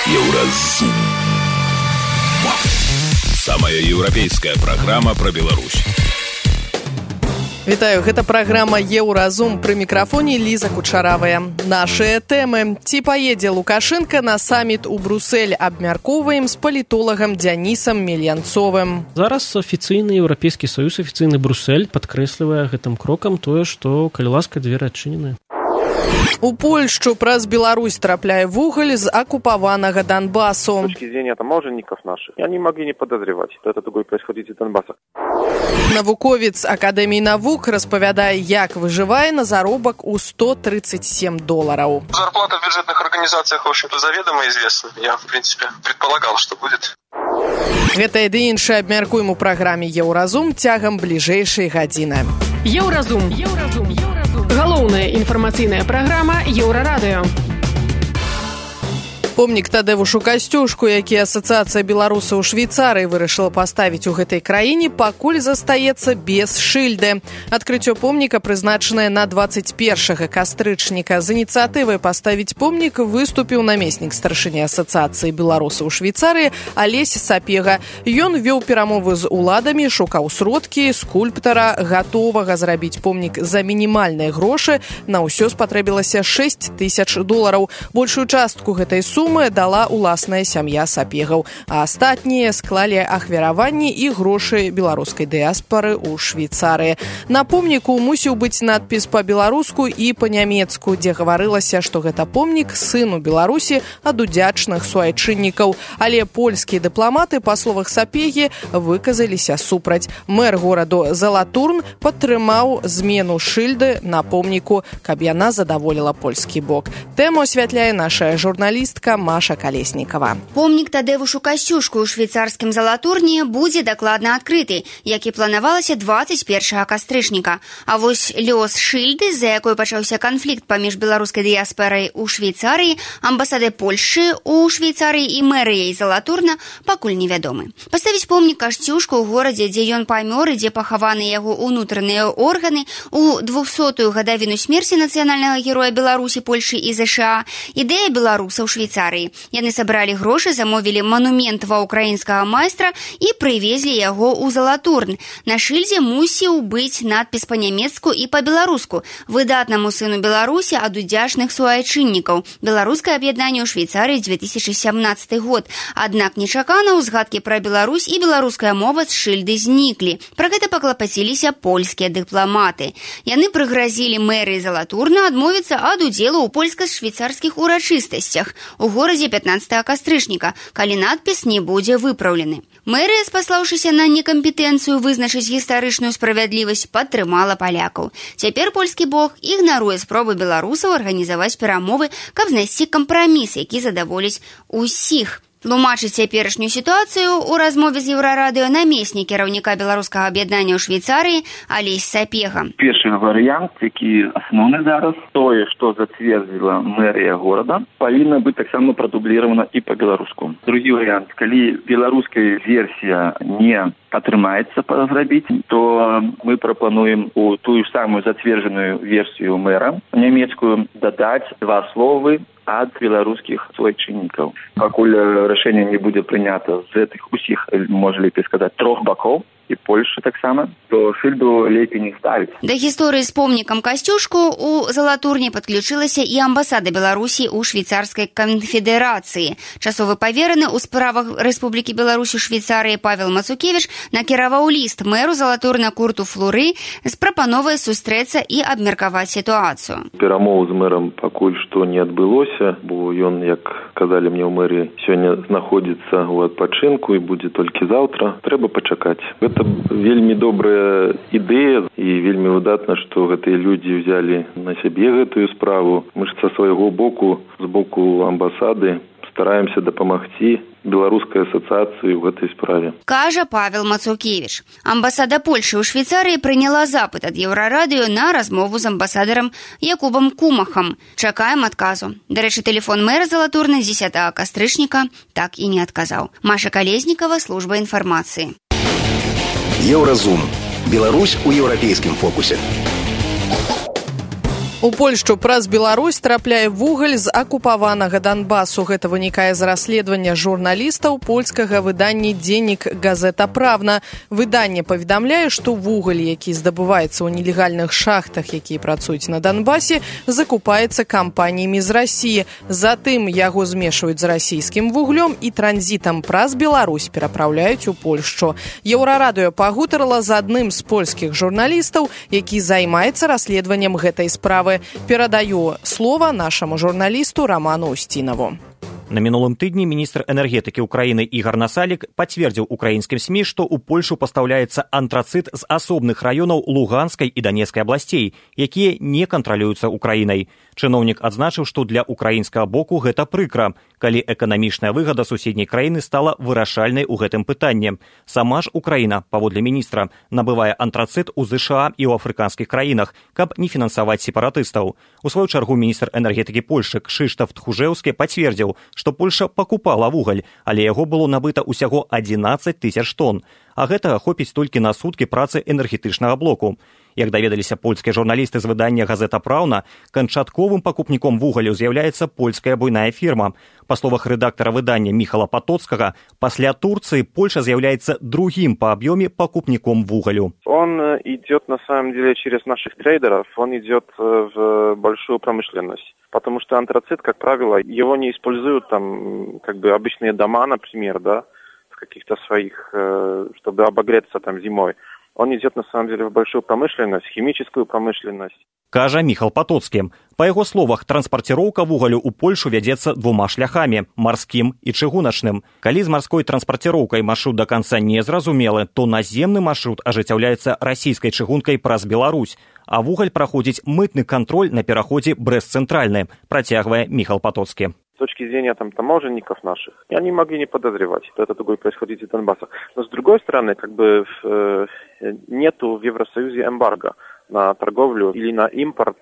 Еўразум. Самая еўрапейская праграма пра Беларусь. Вітаю, гэта праграма «Еўразум», пры мікрафоне Ліза Кучаравая. Нашыя тэмы. Ці паедзе Лукашенко на саміт у Брусэль? Абмяркоўваем з палітолагам Дзянісам Мельянцовым. Зараз афіцыйны Еўрапейскі Саюз, афіцыйны Брусэль падкрэслівае гэтым крокам тое, што, калі ласка, дзверы адчынены. У Польшчу праз Беларусь трапляе вугаль з акупаванага Донбассу. С точки зрения таможенников наших, они могли не подозревать, что это такое происходит из Донбасса. Навуковец Акадэміі навук распавядае, як выжывае на заробак у $137. Зарплата в бюджетных организациях, в общем-то, заведомо известна. Я, в принципе, предполагал, что будет. Гэтае ды іншае абмяркуем у праграме «Еўразум» цягам бліжэйшай гадзіны. Еўразум. Галоўная інфармацыйная праграма Еўрарадыё. Помнік Тадеушу Касцюшку, які Асацыяцыя беларусаў у Швейцарыі вырашыла паставіць у гэтай краіне, пакуль застаецца без шыльды. Адкрыццё помніка прызначанае на 21 кастрычніка. З ініцыятывай паставіць помнік выступіў намеснік старшыні Асацыяцыі беларусаў у Швейцарыі Алесь Сапега. Ён вёў перамовы з уладамі, шукаў сродкі, скульптара, гатовага зрабіць помнік за мінімальныя грошы. На ўсё спатрэбілася $6000. Большую частку гэтай сумы дала уласная сям'я Сапегаў, а астатнія склалі ахвяраванні і грошы беларускай дыяспары ў Швейцарыі. На помніку мусіў быць надпіс па-беларуску і па-нямецку, дзе гаварылася, што гэта помнік сыну Беларусі ад удзячных суайчыннікаў. Але польскія дыпламаты, па словах Сапегі, выказаліся супраць. Мэр гораду Залатурн падтрымаў змену шыльды на помніку, каб яна задаволіла польскі бок. Тэму асвятляе наша журналістка Маша Колесникова. Помнік Тадеушу Касцюшку ў швейцарскім Залатурні будзе дакладна адкрыты, як і планавалася 21 кастрычніка. А вось лёс шыльды, з-за якой пачаўся канфлікт паміж беларускай дыяспорай у Швейцарыі, амбасадай Польшчы ў Швейцарыі і мэрыяй Залатурна пакуль невядомы. Паставіць помнік Касцюшку ў горадзе, дзе ён памёр і дзе пахаваны яго ўнутраныя органы, у 200-ю гадавіну смерці нацыянальнага героя Беларусі, Польшчы і ЗША, ідэя беларусаў Швейцарыі. Яны сабралі грошы, замовілі манумент ва ўкраінскага майстра і прывезлі яго ў Залатурн. На шыльдзе мусіў быць надпіс па-нямецку і па-беларуску: «Выдатнаму сыну Беларусі ад удзячных суайчыннікаў. Беларускае аб'яднанне ў Швейцарыі 2017 год». Аднак нечакана ўзгадкі пра Беларусь і беларуская мова з шыльды зніклі. Пра гэта паклапаціліся польскія дыпламаты. Яны прыгразілі мэрыі Залатурна адмовіцца ад удзелу ў польска-швейцарскіх урачыстасцях у горадзе 15 кастрычніка, калі надпіс не будзе выпраўлены. Мэрыя, спаслаўшыся на некампетэнцыю вызначыць гістарычную справядлівасць, падтрымала палякаў. Цяпер польскі бок ігнаруе спробы беларусаў арганізаваць перамовы, каб знайсці кампраміс, які задаволіць усіх. Тлумачыць цяперашнюю сітуацыю ў размове з Еўрарадыё намеснік кіраўніка беларускага аб'яднання ў Швейцарыі Алесь Сапега. Першы варыянт, які асноўны зараз, тое, што зацвердзіла мэрыя горада, павінна быць таксама прадубліравана і па-беларуску. Другі варыянт, калі беларуская версія не атрымаецца зрабіць, то мы прапануем у тую самую зацверджаную версію мэра нямецкую дадаць два словы ад беларускіх суайчыннікаў. Пакуль рашэнне не будзе прынята з гэтых усіх, можа лепей сказаць, трох бакоў, і Польшчы таксама, то шыльду лепей не ставіць. Да гісторыі з помнікам Касцюшку у Залатурні падключылася і амбасада Беларусі ў Швейцарскай канфедэрацыі. Часовы павераны ў справах Рэспублікі Беларусь у Швейцарыі Павел Мацукевіч накіраваў ліст мэру Залатурна Курту Флуры з прапановай сустрэцца і абмеркаваць сітуацыю. Перамоў з мэрам пакуль што не адбылося, бо ён, як казалі мне ў мэрыі, сёння знаходзіцца ў адпачынку і будзе толькі заўтра. Трэба пачакаць. Гэта вельмі добрая ідэя і вельмі выдатна, што гэтыя людзі ўзялі на сябе гэтую справу. Мы ж са свайго боку, з боку амбасады, стараемся дапамагці беларускай асацыяцыі ў гэтай справе. Кажа Павел Мацукевіч. Амбасада Польшчы ў Швейцарыі прыняла запыт ад Еўрарадыё на размову з амбасадарам Якубам Кумахам. Чакаем адказу. Дарэчы, тэлефон мэра Залатурна 10 кастрычніка так і не адказаў. Маша Колеснікова, служба інфармацыі. Еўразум. Беларусь у еўрапейскім фокусе. У Польшчу праз Беларусь трапляе вугаль з акупаванага Донбасу. Гэта вынікае з расследавання журналістаў польскага выдання «Дзеннік Газета Правна». Выданне паведамляе, што вугаль, які здабываецца ў нелегальных шахтах, якія працуюць на Донбасе, закупаецца кампаніямі з Расіі. Затым яго змешваюць з расійскім вуглем і транзітам праз Беларусь перапраўляюць у Польшчу. Еўрарадыё пагутарыла з адным з польскіх журналістаў, які займаецца расследаваннем гэтай справы. Перадаю слово нашему журналисту Роману Устинову. На мінулым тыдні міністр энергетыкі ўкраіны Ігар Насалік пацвердзіў украінскім СМІ, што ў Польшу пастаўляецца антрацыт з асобных раёнаў Луганскай і Данецкай абласцей, якія не кантралююцца Украінай. Чыноўнік адзначыў, што для украінскага боку гэта прыкра, калі эканамічная выгада суседняй краіны стала вырашальнай у гэтым пытанні. Сама ж Украіна, паводле міністра, набывае антрацыт у ЗША і ў афрыканскіх краінах, каб не фінансаваць сепаратыстаў. У сваю чаргу міністр энергетыкі Польшчы Кшыштаф Тхужэўскі пацвердзіў, што Польша пакупала вугаль, але яго было набыта ўсяго 11 тысяч тонн. А гэтага хопіць толькі на суткі працы энергетычнага блоку. Як даведаліся польскія журналісты з выдання «Газета Праўна», канчатковым пакупніком вугалю з'яўляецца польская буйная фірма. Па словах рэдактара выдання Міхала Патоцкага, пасля Турции Польша з'яўляецца другим по объеме покупником вугалю. Он идет на самом деле через наших трейдеров, он идет в большую промышленность. Потому что антрацит, как правило, его не используют там обычные дома, например, да, в каких-то своих, чтобы обогреться там зимой. Он идет, на самом деле, в большую промышленность, химическую промышленность. Кажа Міхал Патоцкі. Па яго словах, транспарціроўка вугалю ў Польшу вядзецца двума шляхамі – марскім і чыгуначным. Калі з марской транспарціроўкай маршрут да канца не зразумелы, то наземны маршрут ажыццяўляецца расійскай чыгункай праз Беларусь, а вугаль праходзіць мытны кантроль на пераходзе Брэст-Цэнтральны, працягвае Міхал Патоцкі. С точки зрения таможенников наших, они могли не подозревать, что это такое происходит из Донбасса. Но с другой стороны, нету в Евросоюзе эмбарго на торговлю или на импорт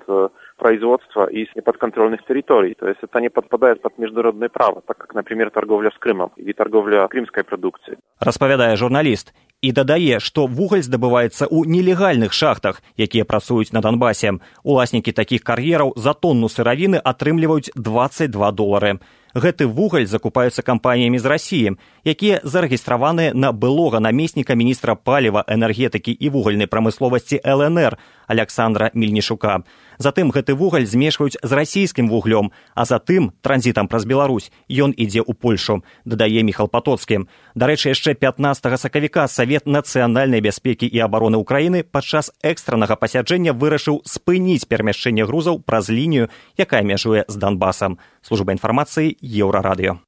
производства из неподконтрольных территорий. То есть это не подпадает под международное право, так как, например, торговля с Крымом или торговля крымской продукцией. Распавядае журналіст. І дадае, што вугаль здабываецца ў нелегальных шахтах, якія працуюць на Донбасе. Уласнікі такіх кар'ераў за тонну сыравіны атрымліваюць $22. Гэты вугаль закупаюцца кампаніямі з Расіі, якія зарэгістраваныя на былога намесніка міністра паліва, энергетыкі і вугальнай прамысловасці ЛНР Александра Мельнішука. Затым гэты вугаль змешваюць з расійскім вуглем, а затым транзітам праз Беларусь ён ідзе ў Польшу, дадае Міхал Патоцкі. Дарэчы, яшчэ 15 сакавіка Савет нацыянальнай бяспекі і абароны Украіны падчас экстраннага пасяджэння вырашыў спыніць перамяшчэнне грузаў праз лінію, якая мяжуе з Донбасам. Служба інфармацыі Еўрарадыё.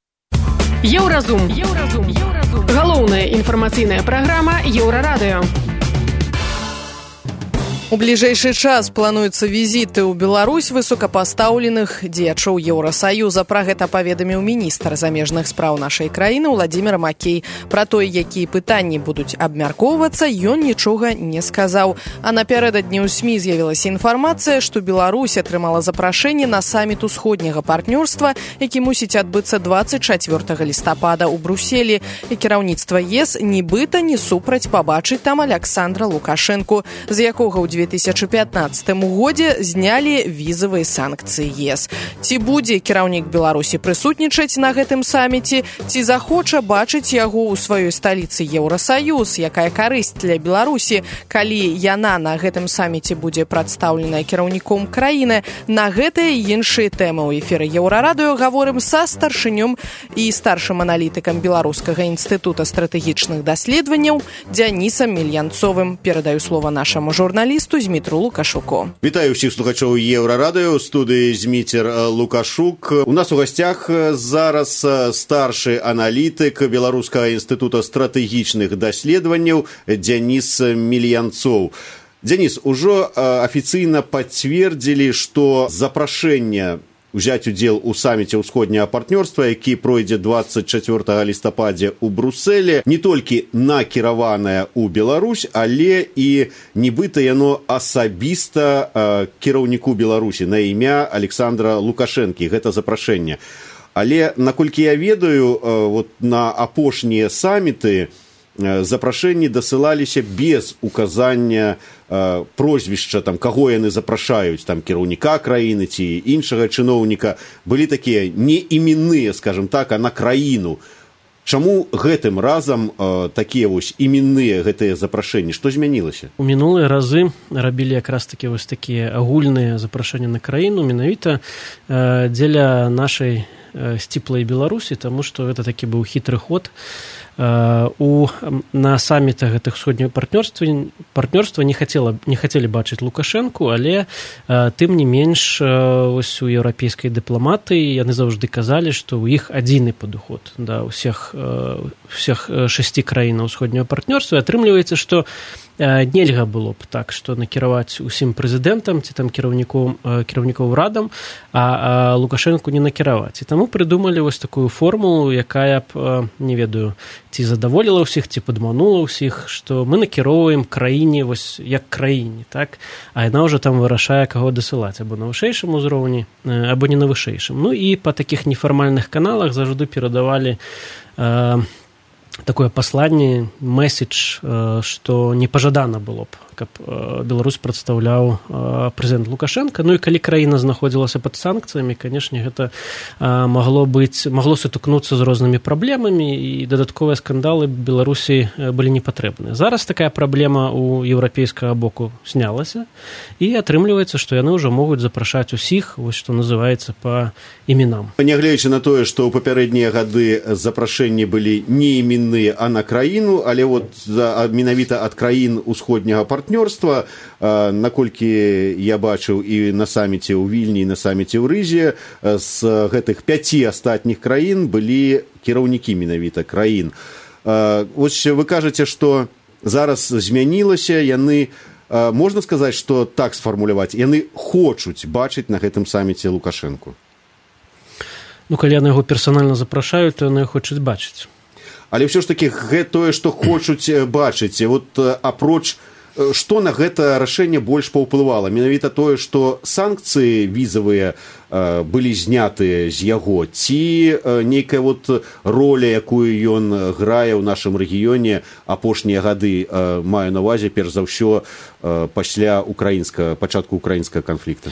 Еўразум. Галоўная інфармацыйная праграма Еўрарадыё. У бліжэйшы час плануюцца візіты ў Беларусь высокапастаўленых дзеячоў Еўрасаюза. Пра гэта паведаміў міністр замежных спраў нашай краіны Владзімір Макей. Пра тое, якія пытанні будуць абмяркоўвацца, ён нічога не сказаў. А напярэдадні ў СМІ з'явілася інфармацыя, што Беларусь атрымала запрашэнне на саміт усходняга партнёрства, які мусіць адбыцца 24 лістапада ў Брюсселі. І кіраўніцтва ЕС нібыта не супраць пабачыць там Александра Лукашэнку, з якога ў 2015 годзе знялі візавыя санкцыі ЕС. Ці будзе кіраўнік Беларусі прысутнічаць на гэтым саміце, ці захоча бачыць яго ў сваёй сталіцы Еўрасаюз, якая карысць для Беларусі, калі яна на гэтым саміце будзе прадстаўленая кіраўніком краіны. На гэтыя і іншыя тэмы ў эфіры Еўрарадыё гаворым са старшынём і старшым аналітыкам Беларускага інстытута стратэгічных даследаванняў Дзянісам Мільянцовым. Перадаю слова нашаму журналісту Змітру Лукашуку. Вітаю ўсіх слухачоў Еўрарадыё, у студыі Зміцер Лукашук. У нас у гасцях зараз старшы аналітык Беларускага інстытута стратэгічных даследаванняў Дзяніс Мільянцоў. Дзяніс, ужо афіцыйна пацвердзілі, што запрашэнне узяць удзел у саміце ўсходняга партнёрства, які пройдзе 24 лістападзе ў Брюсселі, не толькі накіраванае ў Беларусь, але і нібыта яно асабіста кіраўніку Беларусі на імя Александра Лукашэнкі, гэта запрашэнне. Але, наколькі я ведаю, на апошнія саміты запрашэнні дасылаліся без указання прозвішча, там, каго яны запрашаюць, там, кіраўніка краіны ці іншага чыноўніка. Былі такія не іменныя, скажем так, а на краіну. Чаму гэтым разам такія вось іменныя гэтыя запрашэнні? Што змянілася? У мінулыя разы рабілі якраз такі вось такія агульныя запрашэнні на краіну, менавіта дзеля нашай сціплай Беларусі, таму што гэта такі быў хітры ход. На самітах гэтых усходняга партнёрства не хацелі бачыць Лукашэнку, але тым не менш ось у еўрапейскай дыпламатыі яны заўжды казалі, што ў іх адзіны падыход да ўсіх 6 краінаў усходняга партнёрства. Атрымліваецца, што нельга было б так, што накіраваць усім прэзідэнтам ці там кіраўнікоў урадам, а Лукашэнку не накіраваць. І таму прыдумалі вось такую формулу, якая б, не ведаю, ці задаволіла ўсіх, ці падманула ўсіх, што мы накіроўваем краіне вось як краіне, так? А яна ўжо там вырашае, каго дасылаць, або на вышэйшым узроўні, або не на вышэйшым. Ну і па такіх нефармальных каналах заўжды перадавалі такое пасланне, месседж, што непажадана было б, каб Беларусь прадстаўляў прэзідэнт Лукашенко. Ну і калі краіна знаходзілася пад санкцыямі, канешне, гэта магло сутыкнуцца з рознымі праблемамі, і дадатковыя скандалы Беларусі былі непатрэбныя. Зараз такая праблема у еўрапейскага боку знялася, і атрымліваецца, што яны ўжо могуць запрашаць усіх, вось што называецца, па іменам. Нягледзячы на тое, што ў папярэднія гады запрашэнні былі не іменныя, а на краіну, але вот менавіта ад краін усходняга партнёрства, наколькі я бачыў і на саміце ў Вільні, і на саміце ў Рызе, з гэтых 5 астатніх краін былі кіраўнікі менавіта краін. Вось вы кажаце, што зараз змянілася, яны, можна сказаць, што так сфармуляваць, яны хочуць бачыць на гэтым саміце Лукашэнку? Ну, калі яны яго персанальна запрашаюць, то яны хочуць бачыць. Але ўсё ж такі тое, што хочуць бачыць, вот апроч, што на гэта рашэнне больш паўплывала? Менавіта тое, што санкцыі візавыя былі знятыя з яго, ці нейкая вот роля, якую ён грае ў нашым рэгіёне апошнія гады, маю на ўвазе, перш за ўсё, пасля пачатку украінскага канфлікта?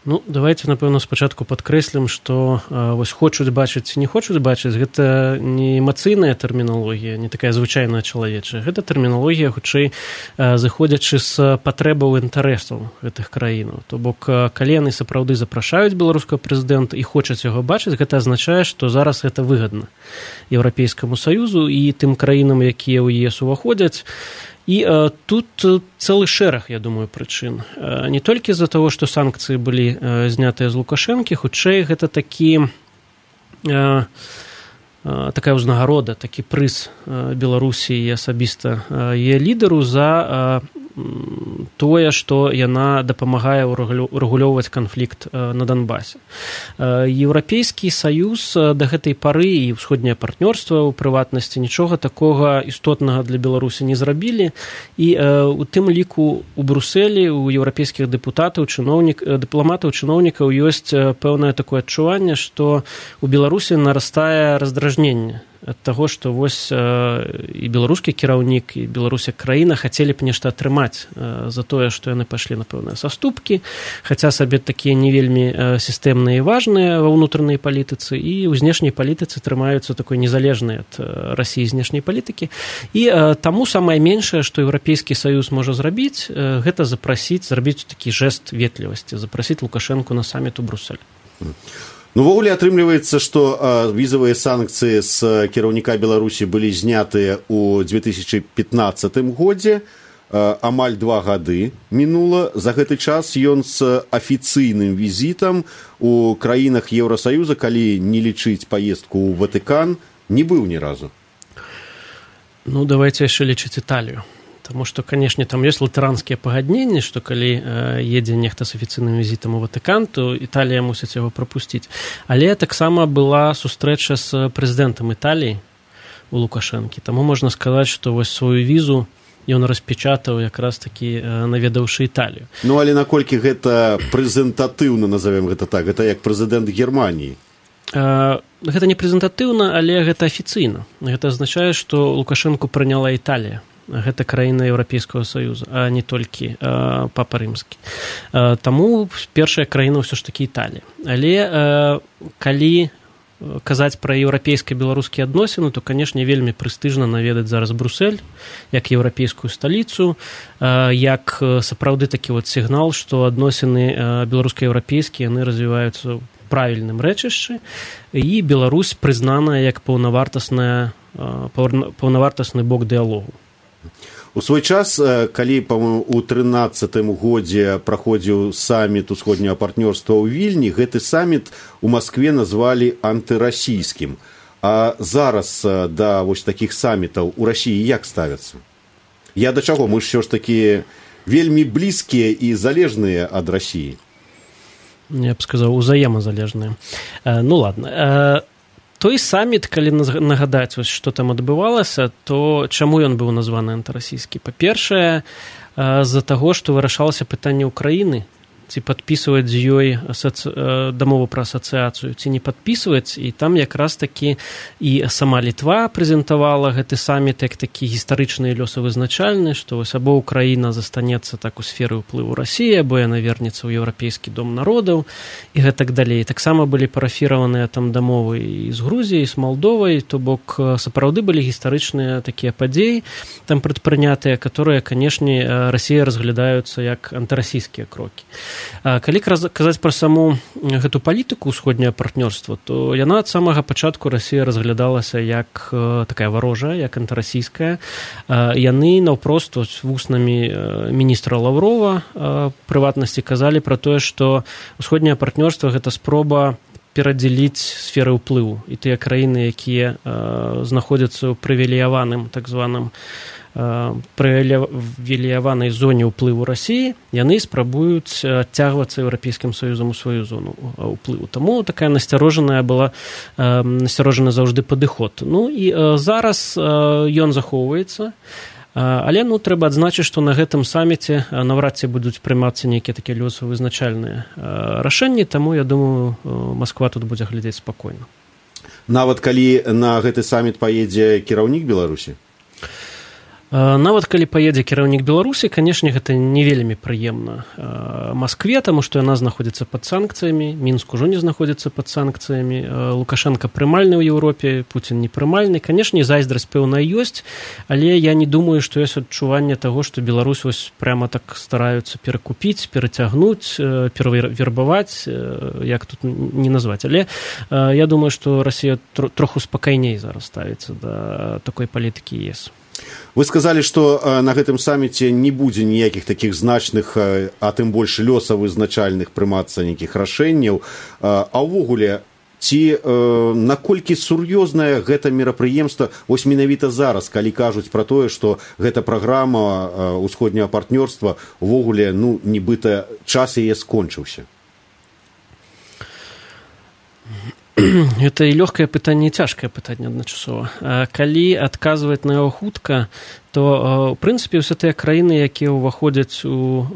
Ну, давайте, напэўна, спачатку падкрэслім, што вось хочуць бачыць ці не хочуць бачыць, гэта не эмацыйная тэрміналогія, не такая звычайная чалавечая. Гэта тэрміналогія, хутчэй, зыходзячы з патрэбаў інтарэсаў гэтых краінаў. То бок, калі яны сапраўды запрашаюць беларускага прэзідэнта і хочуць яго бачыць, гэта азначае, што зараз гэта выгадна Еўрапейскаму Саюзу і тым краінам, якія ў ЕС уваходзяць. І тут цэлы шэраг, я думаю, прычын. Не толькі з-за таго, што санкцыі былі знятыя з Лукашэнкі, хутчэй гэта такая ўзнагарода, такі прыз Беларусі і асабіста яе лідару за тое, што яна дапамагае урэгулёўваць канфлікт на Донбасе. Еўрапейскі Саюз да гэтай пары і ўсходняе партнёрства, ў прыватнасці, нічога такога істотнага для Беларусі не зрабілі, і у тым ліку у Брусэлі, у еўрапейскіх дыпламатаў, чыноўнікаў ёсць пэўнае такое адчуванне, што у Беларусі нарастае раздражненне ад таго, што вось і беларускі кіраўнік, і Беларусь як краіна хацелі б нешта атрымаць за тое, што яны пайшлі на пэўныя саступкі, хаця сабе такія не вельмі сістэмныя і важныя ва ўнутранай палітыцы, і ў знешняй палітыцы трымаюцца такой незалежнай ад Расіі знешняй палітыкі. І таму самае меншае, што Еўрапейскі Саюз можа зрабіць, гэта зрабіць такі жэст ветлівасці, запрасіць Лукашэнку на саміт у Брусэль. Ну, ввогуле атрымліваецца, што візавыя санкцыі з кіраўніка Беларусі былі знятыя ў 2015 годзе, амаль 2 гады мінула. За гэты час ён з афіцыйным візітам у краінах Еўрасаюза, калі не лічыць паездку ў Ватыкан, не быў ні разу. Ну, давайте яшчэ лічыць Італію. Таму што, канешне, там ёсць латаранскія пагадненні, што калі едзе нехта з афіцыйным візітам у Ватыкан, то Італія мусіць яго прапусціць. Але таксама была сустрэча з прэзідэнтам Італіі у Лукашэнкі. Таму можна сказаць, што вось сваю візу ён распечатаў якраз такі наведаўшы Італію. Ну, але наколькі гэта прэзентатыўна, назовем гэта так, гэта як прэзідэнт Германіі? Гэта не прэзентатыўна, але гэта афіцыйна. Гэта азначае, што Лукашэнку прыняла Італія. Гэта краіна Еўрапейскага Саюза, а не толькі папа рымскі. Таму першая краіна ўсё ж такі Італія. Але калі казаць пра еўрапейска-беларускія адносіны, то, канешне, вельмі прэстыжна наведаць зараз Брусэль, як еўрапейскую сталіцу, як сапраўды такі сігнал, што адносіны беларуска-еўрапейскія, яны развіваюцца ў правільным рэчышчы, і Беларусь прызнаная як паўнавартасны бок дыялогу. У свой час, калі, па-моему, у 13-м годзе праходзіў саміт усходняга партнёрства ў Вільні, гэты саміт у Маскве назвалі антырасійскім. А зараз да вось такіх самітаў у Расіі як ставяцца? Я да чаго? Мы ж ўсё ж такі вельмі блізкія і залежныя ад Расіі. Я б сказаў, узаемазалежныя. Ну, ладно. Той саміт, калі нагадаць, што там адбывалася, то чаму ён быў названы антырасійскі? Па-першае, з-за таго, што вырашалася пытанне Украіны, ці падпісваць з ёй дамову пра асацыяцыю, ці не падпісваць, і там якраз такі і сама Літва прэзентавала гэты саміт як такі гістарычны і лёсавызначальны, што вось або Украіна застанецца так у сферы ўплыву Расіі, або яна вернецца ў Еўрапейскі дом народаў, і гэтак далей. Таксама былі парафіраваныя там дамовы і з Грузіяй, і з Малдовай, то бок сапраўды былі гістарычныя такія падзеі там прадпрынятыя, которые, канешне, Расія разглядаюцца як антырасійскія крокі. Калі казаць пра саму гэту палітыку ўсходняе партнёрства, то яна ад самага пачатку Расія разглядалася як такая варожая, як антырасійская. Яны наўпрост вуснамі міністра Лаўрова прыватнасці казалі пра тое, што ўсходняе партнёрства гэта спроба перадзеліць сферы ўплыву. І тыя краіны, якія знаходзяцца ў прывілеяваным так званым прывілеяванай зоне ўплыву Расіі, яны спрабуюць адцягвацца Еўрапейскім Саюзам у сваю зону ўплыву. Таму такая насцярожаная была, насцярожаны заўжды падыход. Ну і зараз ён захоўваецца, але трэба адзначыць, што на гэтым саміце наўрад ці будуць прымацца нейкія такія лёсавызначальныя рашэнні, таму, я думаю, Масква тут будзе глядзець спакойна. Нават калі на гэты саміт паедзе кіраўнік Беларусі? Нават калі паедзе кіраўнік Беларусі, канешне, гэта не вельмі прыемна Маскве, таму што яна знаходзіцца пад санкцыямі, Мінск ужо не знаходзіцца пад санкцыямі, Лукашенко прымальны ў Еўропе, Пуцін непрымальны. Канешне, зайздрасць пэўная ёсць, але я не думаю, што ёсць адчуванне таго, што Беларусь вось прямо так стараюцца перакупіць, перацягнуць, перавербаваць, як тут не назваць. Але я думаю, што Расія троху спакайней зараз ставіцца да такой палітыкі ЕС. Вы сказалі, што на гэтым саміце не будзе ніякіх такіх значных, а тым больш лёсавызначальных прымацца нейкіх рашэнняў. А ўвогуле, ці наколькі сур'ёзнае гэта мерапрыемства вось менавіта зараз, калі кажуць пра тое, што гэта праграма ўсходняга партнёрства увогуле, нібыта час яе скончыўся? Гэта і лёгкае пытанне, і цяжкае пытанне адначасова. Калі адказваць на яго хутка, то, ў прынцыпе, ўсе тыя краіны, якія ўваходзяць у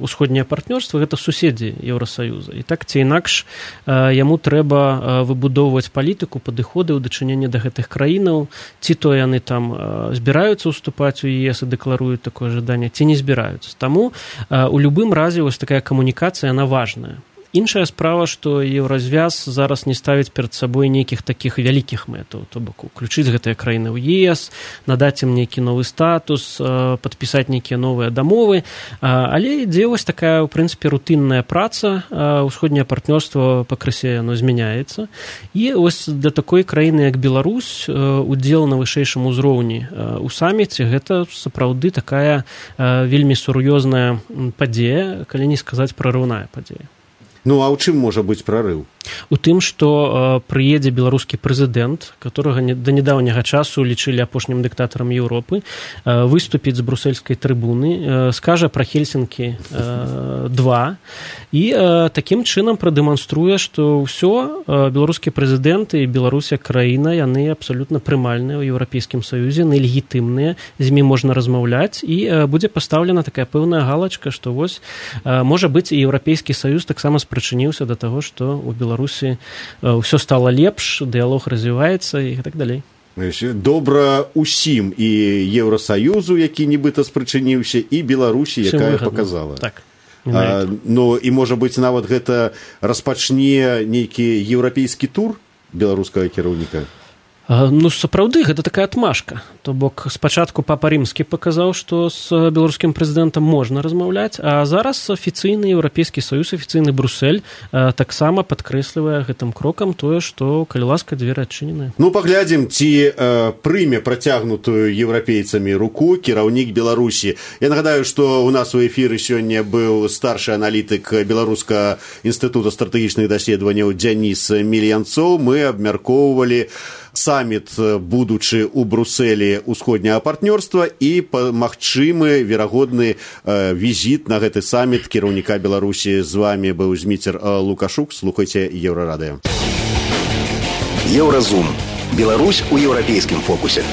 ўсходняе партнёрства, гэта суседзі Еўрасаюза. І так ці інакш яму трэба выбудоўваць палітыку, падыходы ў дачыненні да гэтых краінаў, ці то яны там збіраюцца ўступаць у ЕС і дэкларуюць такое жаданне, ці не збіраюцца. Таму у любым разе вось такая камунікацыя, яна важная. Іншая справа, што еўразвяз зараз не ставіць перад сабой нейкіх такіх вялікіх мэтаў, то бок уключыць гэтыя краіны ў ЕС, надаць ім нейкі новы статус, падпісаць нейкія новыя дамовы, але ідзе вось такая, у прынцыпе, рутынная праца, ўсходняе партнёрства пакрысе яно змяняецца, і вось для такой краіны, як Беларусь, удзел на вышэйшым узроўні ў саміце, гэта сапраўды такая вельмі сур'ёзная падзея, калі не сказаць прарыўная падзея. Ну, а ў чым можа быць прарыў? У тым, што прыедзе беларускі прэзідэнт, которага да нядаўняга часу лічылі апошнім дыктатарам Еўропы, выступіць з брусельскай трыбуны, скажа пра Хельсінкі-2 і такім чынам прадэманструе, што ўсё, беларускі прэзідэнт і Беларусь як краіна, яны абсалютна прымальныя ў Еўрапейскім Саюзе, яны легітымныя, з імі можна размаўляць, і будзе пастаўлена такая пэўная галачка, што вось, можа быць, і Еўрапейскі Саюз таксама прычыніўся да таго, што ў Беларусі ўсё стала лепш, дыялог развіваецца і так далей. Добра ўсім, і Еўрасаюзу, які нібыта спрычыніўся, і Беларусі, якая паказала. Так. Ну, і, можа быць, нават гэта распачне нейкі еўрапейскі тур беларускага кіраўніка? Ну, сапраўды, гэта такая адмашка. То бок, спачатку папа Рымскі паказаў, што з беларускім прэзідэнтам можна размаўляць, а зараз афіцыйны Еўрапейскі Саюз, афіцыйны Брусэль таксама падкрэслівае гэтым крокам тое, што, калі ласка, дзверы адчыненыя. Ну, паглядзім, ці прыме працягнутую еўрапейцамі руку кіраўнік Беларусі. Я нагадаю, што у нас у эфіры сёння быў старшы аналітык Беларускага інстытута стратэгічных даследаванняў Дзяніс Мільянцоў. Мы абмяркоўвалі саміт будучы ў Брусэлі ўсходняга партнёрства і магчымы верагодны візіт на гэты саміт кіраўніка Беларусі. З вами быў Зміцер Лукашук. Слухайце Еўрарадыё. Еўразум. Беларусь у еўрапейскім фокусе.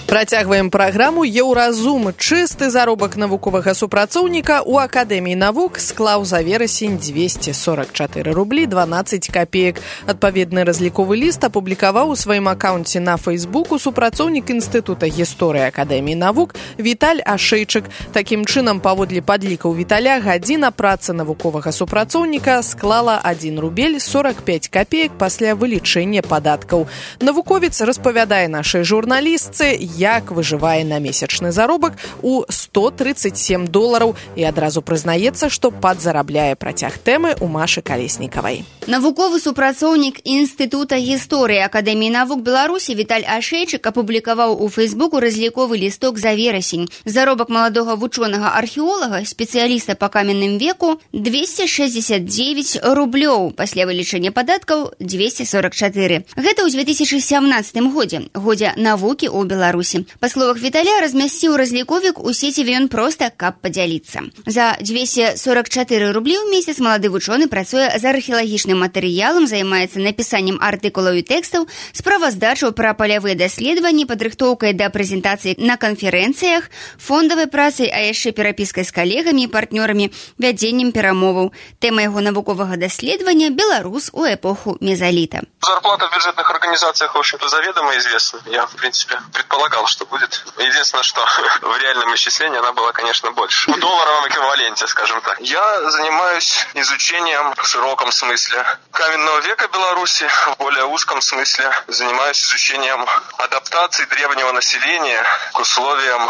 Працягваем праграму «Еўразум». Чысты заробак навуковага супрацоўніка ў Акадэміі навук склаў за верасень 244 рублі 12 копеек. Адпаведны разліковы ліст апублікаваў у сваім акаунце на Фейсбуку супрацоўнік Інстытута гісторыі Акадэміі навук Віталь Ашэйчык. Такім чынам, паводле падлікаў Віталя, гадзіна працы навуковага супрацоўніка склала 1 рубель 45 копеек пасля вылічэння падаткаў. Навуковец распавядае нашай журналістцы, як выжывае на месячны заробак у $137 і адразу прызнаецца, што падзарабляе. Працяг тэмы у Машы Калеснікавай. Навуковы супрацоўнік Інстытута гісторыі Акадэміі навук Беларусі Віталь Ашэйчык апублікаваў у Фейсбуку разліковы лісток за верасень. Заробак маладога вучонага-археолага, спецыяліста па каменным веку, 269 рублёў, пасля вылічэння падаткаў 244. Гэта ў 2017 годзе навукі ў Беларусі. Па словах Віталя, размясціў разліковік у сеціве ён проста, каб падзяліцца. За 244 рублі ў месяц малады вучоны працуе з археалагічным матэрыялам, займаецца напісаннем артыкулаў і тэкстаў, справаздачаў пра палявыя даследаванні, падрыхтоўкай да прэзентацыі на канферэнцыях, фондавай працай, а яшчэ перапіскай з калегамі і партнёрамі, вядзеннем перамоваў. Тэма яго навуковага даследавання – беларус у эпоху мезаліта. Зарплата в бюджетных организациях, в общем-то, заведомо известна. Я, в принципе, предполагал, что будет. Единственное, что в реальном исчислении она была, конечно, больше. В долларовом эквиваленте, скажем так. Я занимаюсь изучением в широком смысле каменного века Беларуси, в более узком смысле занимаюсь изучением адаптации древнего населения к условиям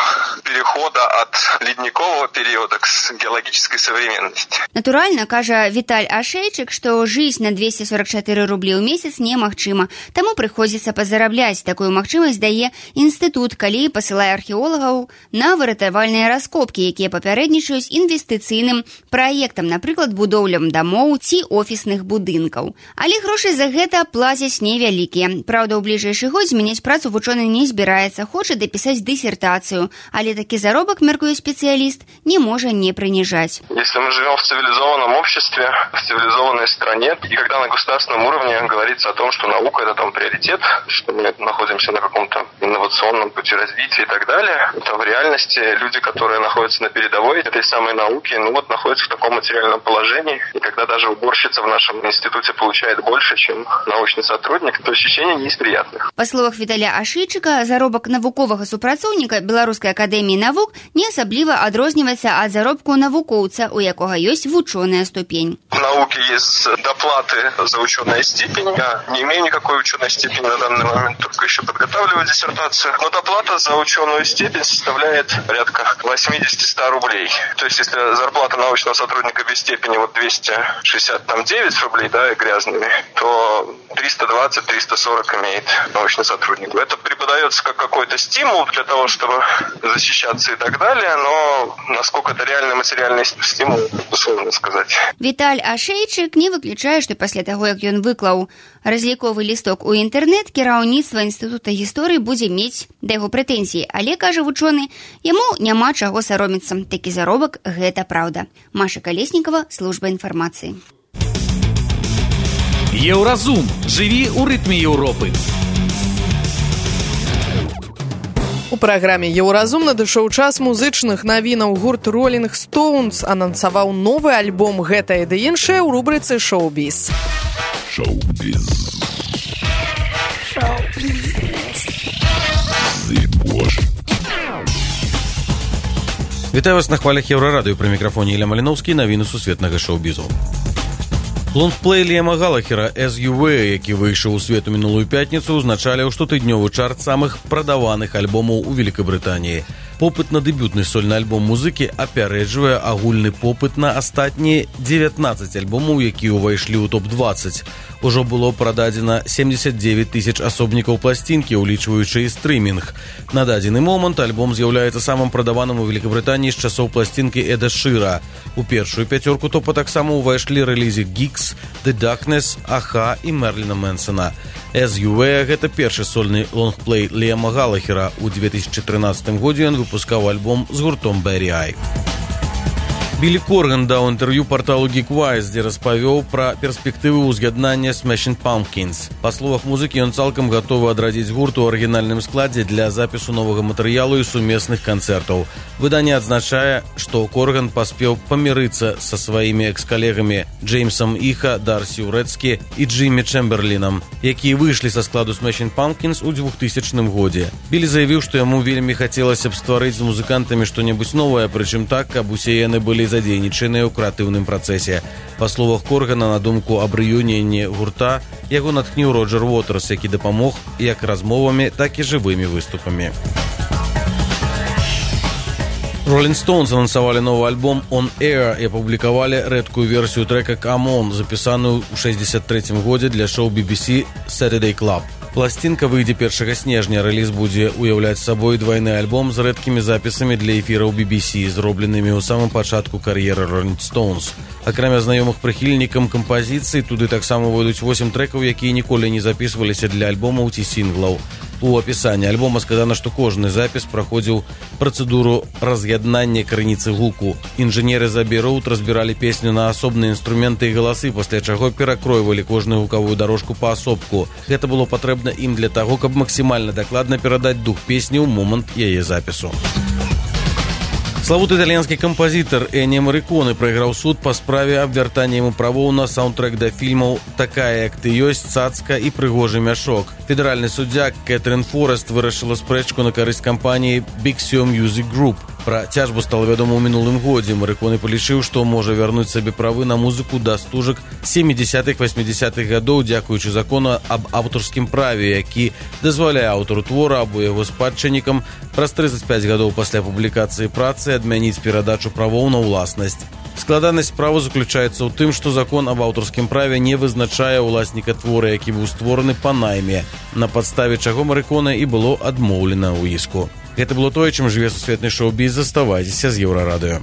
перехода от ледникового периода к геологической современности. Натуральна, кажа Віталь Ашэйчык, што жыць на 244 рублі ў месяц немагчыма, таму прыходзіцца пазарабляць. Такую магчымасць дае інстытут, калі пасылае археолагаў на выратавальныя раскопкі, якія папярэднічаюць інвестыцыйным праектам, напрыклад, будоўлям дамоў ці офісных будынкаў. Але грошы за гэта плацяць невялікія. Праўда, у бліжэйшы год змяняць працу вучоны не збіраецца, хоча дапісаць дысертацыю, але такі заробак, мяркуе спецыяліст, не можа не прыніжаць. Если мы живем в цивилизованном обществе, в цивилизованной стране, и когда на государственном уровне говорится о том, что наука – это там приоритет, что мы находимся на каком-то инновационном пути развития и так далее, то в реальности люди, которые находятся на передовой этой самой науки, находятся в таком материальном положении, и когда даже уборщица в нашем институте получает больше, чем научный сотрудник, то ощущение не из приятных. Па словах Віталя Ашэйчыка, заробак навуковага супрацоўніка Беларускай акадэміі навук не асабліва адрозніваецца ад заробку навукоўца, у якога ёсць вучоная ступень. В науке есть доплаты за ученую степень. Я не имею никакой ученой степени на данный момент, только еще подготавливаю диссертацию. Но доплата за ученую степень составляет порядка 80-100 рублей. То есть, если зарплата научного сотрудника без степени 269 рублей, грязными, то 320-340 имеет научный сотрудник. Это преподается как какой-то стимул для того, чтобы защищаться и так далее, но насколько это реальный материальный стимул, сложно сказать. Віталь Ашэйчык не выключае, што пасля таго, як ён выклаў разліковы лісток у інтэрнэт, кіраўніцтва Інстытута гісторыі будзе мець да яго прэтэнзіі, але, кажа вучоны, яму няма чаго саромецца. Такі заробак – гэта праўда. Маша Калеснікава, служба інфармацыі. Еўразум. Жыві ў рытме Еўропы. У праграме «Еўразум» надышоў час музычных навінаў. Гурт Rolling Stones анансаваў новы альбом «Гэтае ды іншае» ў рубрыцы «Шоу-біз». Шоу-біз. Вітаю вас на хвалях Еўрарадыё. Пры мікрафоне Ілля Маліноўскі, навіны сусветнага шоу-бізу. Лонгплей Ліама Галахера «As You Were», які выйшаў у свет у мінулую пятніцу, узначаліў штотыднёвы чарт самых прадаваных альбомаў у Великабрытаніі. Попыт на дэбютны сольны альбом музыкі апярэджвае агульны попыт на астатнія 19 альбомаў, якія ўвайшлі ў топ-20. Ужо было прададзена 79 тысяч асобнікаў пласцінкі, улічваючы і стрымінг. На дадзены момант альбом з'яўляецца самым прадаваным у Великабрытаніі з часоў пласцінкі Эда Шыра. У першую пяцёрку топа таксама ўвайшлі рэлізы Geeks, The Darkness, Аха і Мерліна Мэнсона. «As You Were» — гэта першы сольны лонгплей Ліама Галахера. У 2013 годзе ён выпускаў альбом з гуртом Barry Eye. Білі Корган даў інтэрв'ю парталу Geekwise, дзе распавёў пра перспектывы ўзгаднання Smashing Pumpkins. Па словах музыкі, ён цалкам гатовы адрадзіць гурт у арыгінальным складзе для запісу новага матэрыялу і сумесных канцэртаў. Выданне адзначае, што Корган паспеў памірыцца са сваімі экс-калегамі Джеймсам Іха, Дарсі Урэцкі і Джиммі Чэмберлінам, якія выйшлі са складу Smashing Pumpkins у 2000 годзе. Білі заявіў, што яму вельмі хацелася б стварыць з музыкантамі што-небудзь новае, прычым так, каб усе яны былі задзейнічаныя ў крэатыўным працэсе. Па словах Коргана, на думку аб рэюніоне гурта, яго натхніў Роджер Уотэрс, які дапамог як размовамі, так і жывымі выступамі. Rolling Stones анансавалі новы альбом «On Air» і апублікавалі рэдкую версію трэка «Come On», запісаную ў 1963 годзе для шоу BBC Saturday Club. Пласцінка выйдзе 1 снежня. Рэліз будзе уяўляць сабой двайны альбом з рэдкімі запісамі для эфіраў BBC, зробленымі ў самым пачатку кар'еры Rolling Stones. Акрамя знаёмых прыхільнікам кампазіцый, туды таксама войдуць 8 трэкаў, якія ніколі не запісваліся для альбомаў ці сінглаў. У апісанні альбома сказана, што кожны запіс праходзіў працэдуру раз'яднання крыніцы гуку. Інжынеры з Abbey Road разбіралі песню на асобныя інструменты і галасы, пасля чаго перакройвалі кожную гукавую дарожку паасобку. Гэта было патрэбна ім для таго, каб максімальна дакладна перадаць дух песні ў момант яе запісу. Славуты італьянскі кампазітар Эніо Марриконе прайграў суд па справе аб вяртанні яму правоў на саундтрэк да фільмаў «Такая, як ты ёсць», «Цацка» і «Прыгожы мяшок». Федэральны суддзя Кэтрин Форест вырашыла спрэчку на карысць кампаніі Big Sur Music Group. Пра цяжбу стала вядома ў мінулым годзе. Марриконе палічыў, што можа вярнуць сабе правы на музыку да стужак 70-80-х гадоў, дзякуючы закону аб аўтарскім праве, які дазваляе аўтару твора або яго спадчыннікам праз 35 гадоў пасля публікацыі працы адмяніць перадачу правоў на ўласнасць. Складанасць справы заключаецца ў тым, што закон аб аўтарскім праве не вызначае ўласніка твора, які быў створаны па найме, на падставе чаго Марриконе і было адмоўлена ў іску. Гэта было тое, чым жыве сусветны шоу-біз. Заставайцеся з Еўрарадыё.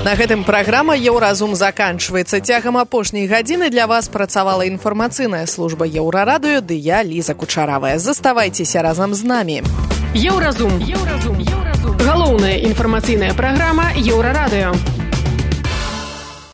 На гэтым праграма «Еўразум» заканчваецца. Цягам апошняй гадзіны для вас працавала інфармацыйная служба Еўрарадыё, ды я, Ліза Кучаравая. Заставайцеся разам з намі. Еўразум. Галоўная інфармацыйная праграма Еўрарадыё.